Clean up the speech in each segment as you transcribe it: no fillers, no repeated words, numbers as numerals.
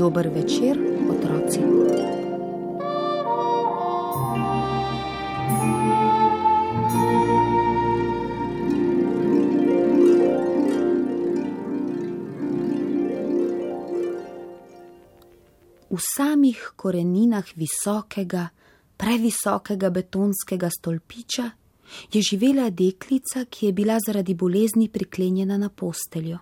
Dober večer, otroci. V samih koreninah visokega, previsokega betonskega stolpiča je živela deklica, ki je bila zaradi bolezni priklenjena na posteljo.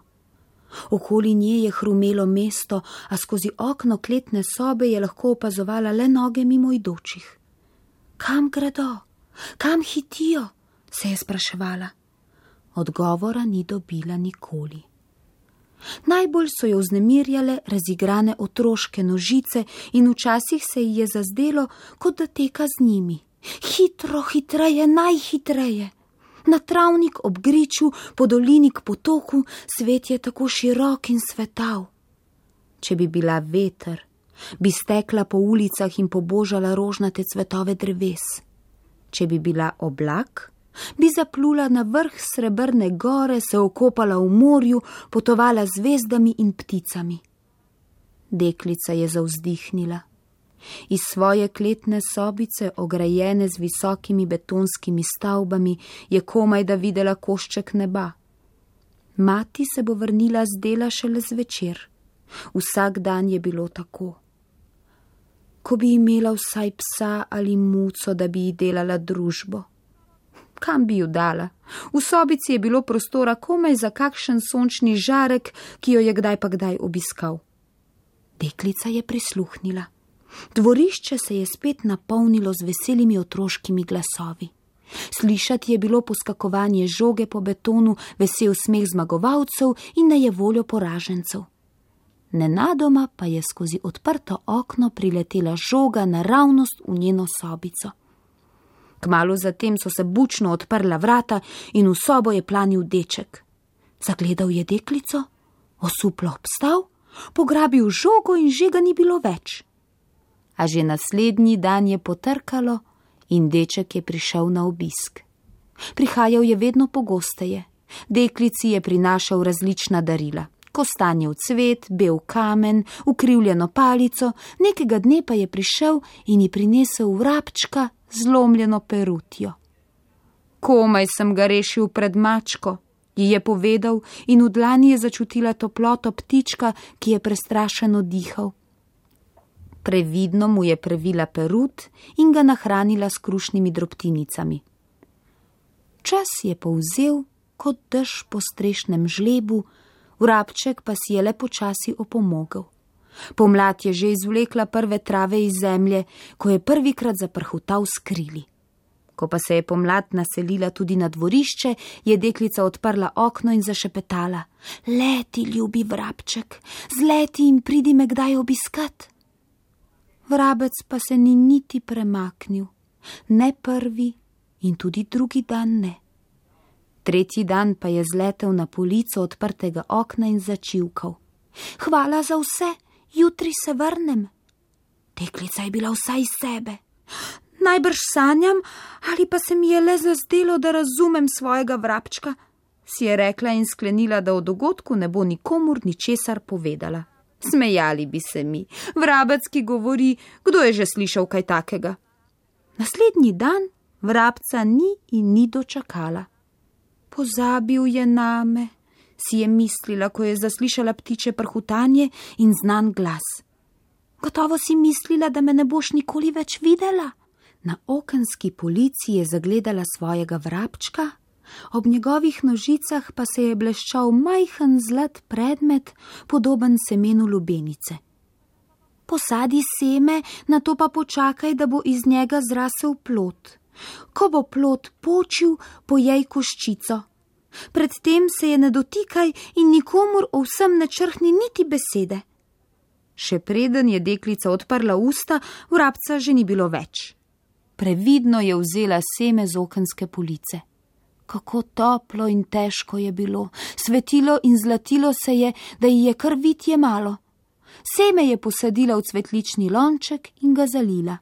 Okoli nje je hrumelo mesto, a skozi okno kletne sobe je lahko opazovala le noge mimoidočih. Kam gredo? Kam hitijo? Se je spraševala. Odgovora ni dobila nikoli. Najbolj so jo vznemirjale razigrane otroške nožice in včasih se ji je zazdelo, kot da teka z njimi. Hitro, hitreje, najhitreje. Na travnik ob griču, po dolini k potoku, svet je tako širok in svetav. Če bi bila veter, bi stekla po ulicah in pobožala rožnate cvetove dreves. Če bi bila oblak, bi zaplula na vrh srebrne gore, se okopala v morju, potovala z zvezdami in pticami. Deklica je zavzdihnila. Iz svoje kletne sobice, ograjene z visokimi betonskimi stavbami, je komaj da videla košček neba. Mati se bo vrnila z dela šele zvečer. Vsak dan je bilo tako. Ko bi imela vsaj psa ali muco, da bi ji delala družbo. Kam bi ju dala? V sobici je bilo prostora komaj za kakšen sončni žarek, ki jo je kdaj pa kdaj obiskal. Deklica je prisluhnila. Dvorišče se je spet napolnilo z veselimi otroškimi glasovi. Slišati je bilo poskakovanje žoge po betonu, vesel smeh zmagovalcev in nejevoljo poražencev. Nenadoma pa je skozi odprto okno priletela žoga naravnost v njeno sobico. Kmalu zatem so se bučno odprla vrata in v sobo je planil deček. Zagledal je deklico, osuplo obstal, pograbil žogo in že ga ni bilo več. A že naslednji dan je potrkalo in deček je prišel na obisk. Prihajal je vedno pogosteje. Deklici je prinašal različna darila. Kostanjev cvet, bel kamen, ukrivljeno palico, nekega dne pa je prišel in ji prinesel vrabčka, zlomljeno perutjo. Komaj sem ga rešil pred mačko, ji je povedal in v dlani je začutila toploto ptička, ki je prestrašeno dihal. Previdno mu je previla perut in ga nahranila s krušnimi drobtinicami. Čas je povzel kot dež po strešnem žlebu, vrabček pa si je le počasi opomogel. Pomlad je že izvlekla prve trave iz zemlje, ko je prvikrat zaprhutal s krili. Ko pa se je pomlad naselila tudi na dvorišče, je deklica odprla okno in zašepetala: Leti, ljubi vrabček, zleti in pridi me kdaj obiskat. Vrabec pa se ni niti premaknil, ne prvi in tudi drugi dan ne. Tretji dan pa je zletel na polico odprtega okna in začivkal: Hvala za vse, jutri se vrnem. Deklica je bila vsa iz sebe. Najbrž sanjam, ali pa se mi je le zazdelo, da razumem svojega vrabčka, si je rekla in sklenila, da o dogodku ne bo nikomur ničesar povedala. Smejali bi se mi. Vrabec, ki govori, kdo je že slišal kaj takega? Naslednji dan vrabca ni in ni dočakala. Pozabil je name, si je mislila, ko je zaslišala ptiče prhutanje in znan glas. Gotovo si mislila, da me ne boš nikoli več videla. Na okenski polici je zagledala svojega vrabčka, ob njegovih nožicah pa se je bleščal majhen zlat predmet, podoben semenu lubenice. Posadi seme, nato pa počakaj, da bo iz njega zrasel plod. Ko bo plod počil, pojej koščico. Predtem se je ne dotikaj in nikomur o vsem ne črhni niti besede. Še preden je deklica odprla usta, vrabca že ni bilo več. Previdno je vzela seme z okenske police. Kako toplo in težko je bilo, svetilo in zlatilo se je, da ji je kar vid jemalo. Seme je posadila v cvetlični lonček in ga zalila.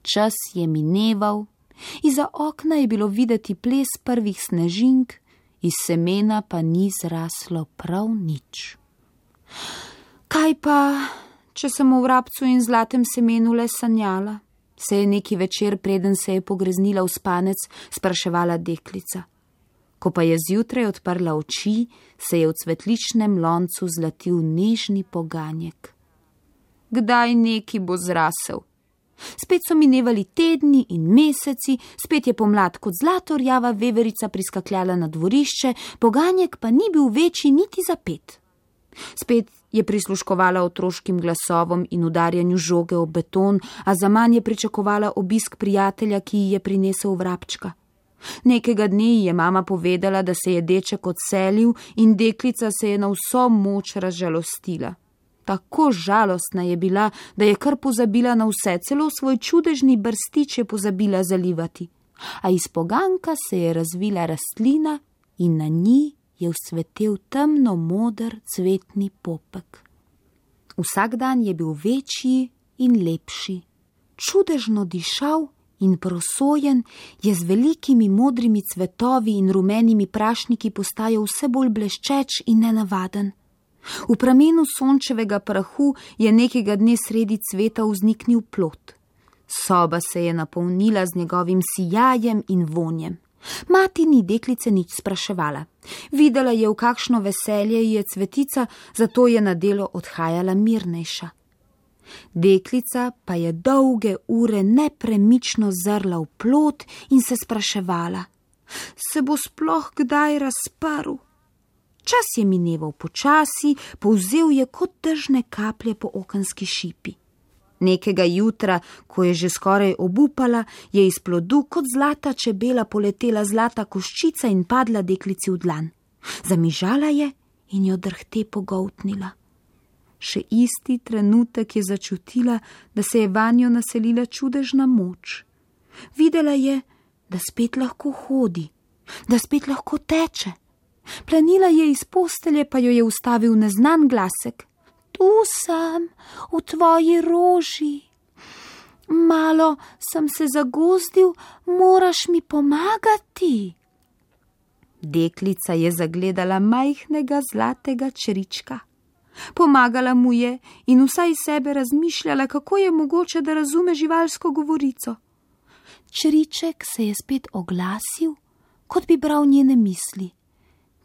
Čas je mineval, izza okna je bilo videti ples prvih snežink, iz semena pa ni zraslo prav nič. Kaj pa, če sem o vrabcu in zlatem semenu le sanjala? Se je neki večer, preden se je pogreznila v spanec, spraševala deklica. Ko pa je zjutraj odprla oči, se je v cvetličnem loncu zlatil nežni poganjek. Kdaj neki bo zrasel? Spet so minevali tedni in meseci, spet je pomlad kot zlatorjava veverica priskakljala na dvorišče, poganjek pa ni bil večji niti za 5. Spet je prisluškovala otroškim glasovom in udarjanju žoge ob beton, a zaman je pričakovala obisk prijatelja, ki ji je prinesel vrabčka. Nekega dne ji je mama povedala, da se je deček odselil in deklica se je na vso moč razžalostila. Tako žalostna je bila, da je kar pozabila na vse, celo svoj čudežni brstič je pozabila zalivati. A iz poganjka se je razvila rastlina in na njej je vzcvetel temno moder cvetni popek. Vsak dan je bil večji in lepši. Čudežno dišal in prosojen je z velikimi modrimi cvetovi in rumenimi prašniki postajal vse bolj bleščeč in nenavaden. V pramenu sončevega prahu je nekega dne sredi cveta vzniknil plod. Soba se je napolnila z njegovim sijajem in vonjem. Mati ni deklice nič spraševala. Videla je, v kakšno veselje je cvetica, zato je na delo odhajala mirnejša. Deklica pa je dolge ure nepremično zrla v plod in se spraševala, se bo sploh kdaj razprl? Čas je mineval počasi, povzel je kot dežne kaplje po okenski šipi. Nekega jutra, ko je že skoraj obupala, je iz plodu kot zlata čebela poletela zlata koščica in padla deklici v dlan. Zamižala je in jo drhte pogoltnila. Še isti trenutek je začutila, da se je vanjo naselila čudežna moč. Videla je, da spet lahko hodi, da spet lahko teče. Planila je iz postelje, pa jo je ustavil neznan glasek. Tu sem, v tvoji roži. Malo sem se zagozdil, moraš mi pomagati. Deklica je zagledala majhnega zlatega črička. Pomagala mu je in vsaj sebe razmišljala, kako je mogoče, da razume živalsko govorico. Čriček se je spet oglasil, kot bi bral njene misli.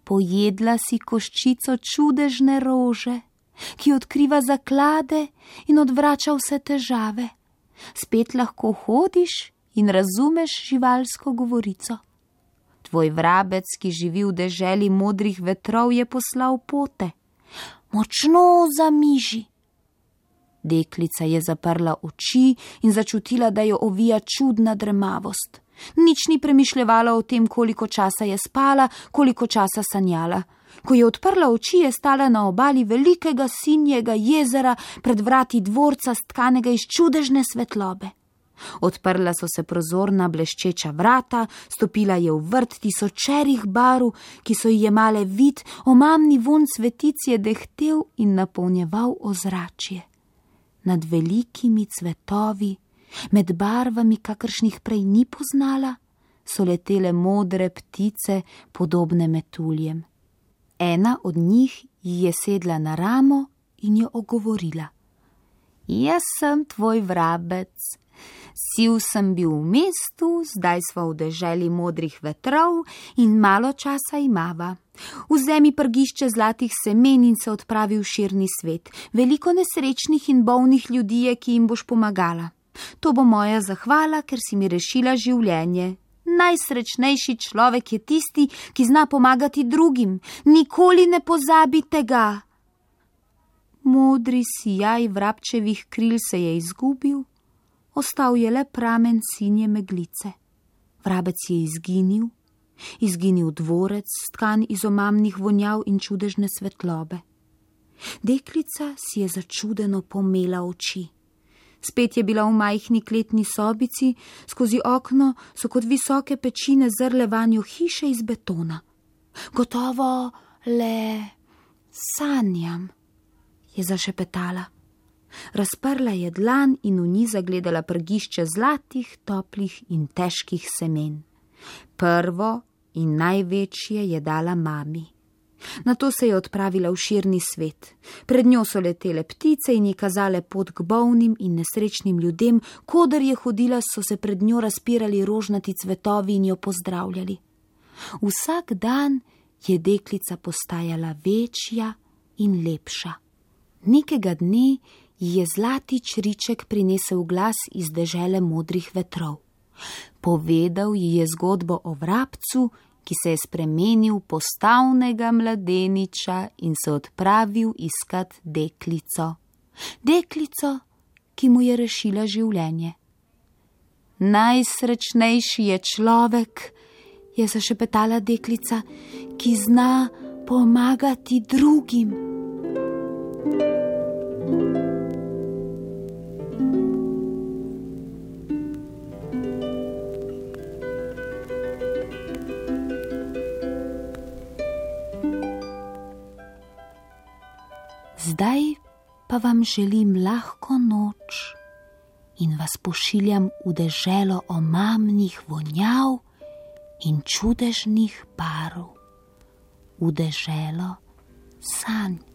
Pojedla si koščico čudežne rože, ki odkriva zaklade in odvrača vse težave. Spet lahko hodiš in razumeš živalsko govorico. Tvoj vrabec, ki živi v deželi modrih vetrov, je poslal pote. Močno zamiži. Deklica je zaprla oči in začutila, da jo ovija čudna dremavost. Nič ni premišljevala o tem, koliko časa je spala, koliko časa sanjala. Ko je odprla oči, je stala na obali velikega sinjega jezera pred vrati dvorca stkanega iz čudežne svetlobe. Odprla so se prozorna bleščeča vrata, stopila je v vrt tisočerih barv, ki so ji jemale vid, omamni vonj cvetic je dehtel in napolnjeval ozračje. Nad velikimi cvetovi, med barvami, kakršnih prej ni poznala, so letele modre ptice, podobne metuljem. Ena od njih ji je sedla na ramo in jo ogovorila. Jaz sem tvoj vrabec. Siv sem bil v mestu, zdaj sva v deželi modrih vetrov in malo časa imava. Vzemi prgišče zlatih semen in se odpravi v širni svet. Veliko nesrečnih in bolnih ljudi je, ki jim boš pomagala. To bo moja zahvala, ker si mi rešila življenje. Najsrečnejši človek je tisti, ki zna pomagati drugim. Nikoli ne pozabi tega. Modri sijaj vrabčevih kril se je izgubil, ostal je le pramen sinje meglice. Vrabec je izginil dvorec, stkan iz omamnih vonjav in čudežne svetlobe. Deklica si je začudeno pomela oči. Spet je bila v majhni kletni sobici, skozi okno so kot visoke pečine zrle vanjo hiše iz betona. Gotovo le sanjam, je zašepetala. Razprla je dlan in v njej zagledala prgišče zlatih, toplih in težkih semen. Prvo in največje je dala mami. Nato se je odpravila v širni svet. Pred njo so letele ptice in ji kazale pot k bolnim in nesrečnim ljudem, kodar je hodila, so se pred njo razpirali rožnati cvetovi in jo pozdravljali. Vsak dan je deklica postajala večja in lepša. Nekega dne ji je zlati čriček prinesel glas iz dežele modrih vetrov. Povedal ji je zgodbo o vrabcu, ki se je spremenil v postavnega mladeniča in se odpravil iskat deklico. Deklico, ki mu je rešila življenje. Najsrečnejši je človek, je zašepetala deklica, ki zna pomagati drugim. Zdaj pa vam želim lahko noč in vas pošiljam v deželo omamnih vonjav in čudežnih barv, v deželo sanj.